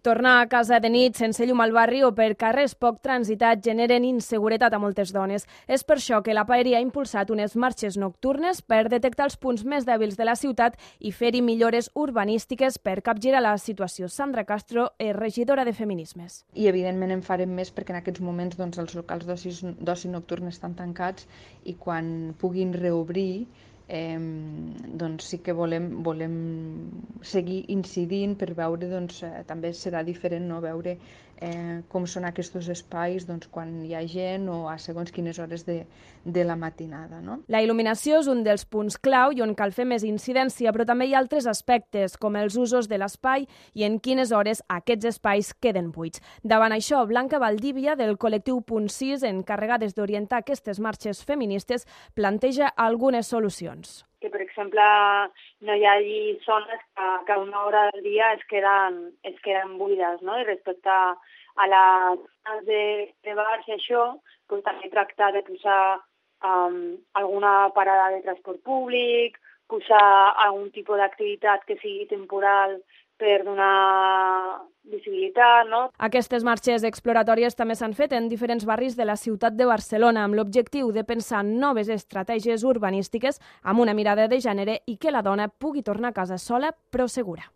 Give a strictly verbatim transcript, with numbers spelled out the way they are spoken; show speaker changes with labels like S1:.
S1: Tornar a casa de nit sense llum al barri o per carrers poc transitats generen inseguretat a moltes dones. És per això que la Paeria ha impulsat unes marxes nocturnes per detectar els punts més dèbils de la ciutat i fer-hi millores urbanístiques per capgirar la situació. Sandra Castro és regidora de Feminismes.
S2: I evidentment en farem més perquè en aquests moments doncs, els locals d'oci nocturn estan tancats i quan puguin reobrir Eh, doncs sí que volem, volem seguir incidint per veure, doncs, eh, també serà diferent, no? Veure eh, com són aquests espais doncs, quan hi ha gent o a segons quines hores de, de la matinada. No?
S1: La il·luminació és un dels punts clau i on cal fer més incidència, però també hi ha altres aspectes, com els usos de l'espai i en quines hores aquests espais queden buits. Davant això, Blanca Valdívia, del col·lectiu Punt sis, encarregades d'orientar aquestes marxes feministes, planteja algunes solucions.
S3: Que, per exemple, no hi hagi zones que, que a una hora del dia es queden, es queden buides, no? I respecte a les zones de, de bars i això, doncs també tractar de posar um, alguna parada de transport públic, posar algun tipus d'activitat que sigui temporal per donar visibilitat, no?
S1: Aquestes marxes exploratòries també s'han fet en diferents barris de la ciutat de Barcelona amb l'objectiu de pensar noves estratègies urbanístiques amb una mirada de gènere i que la dona pugui tornar a casa sola però segura.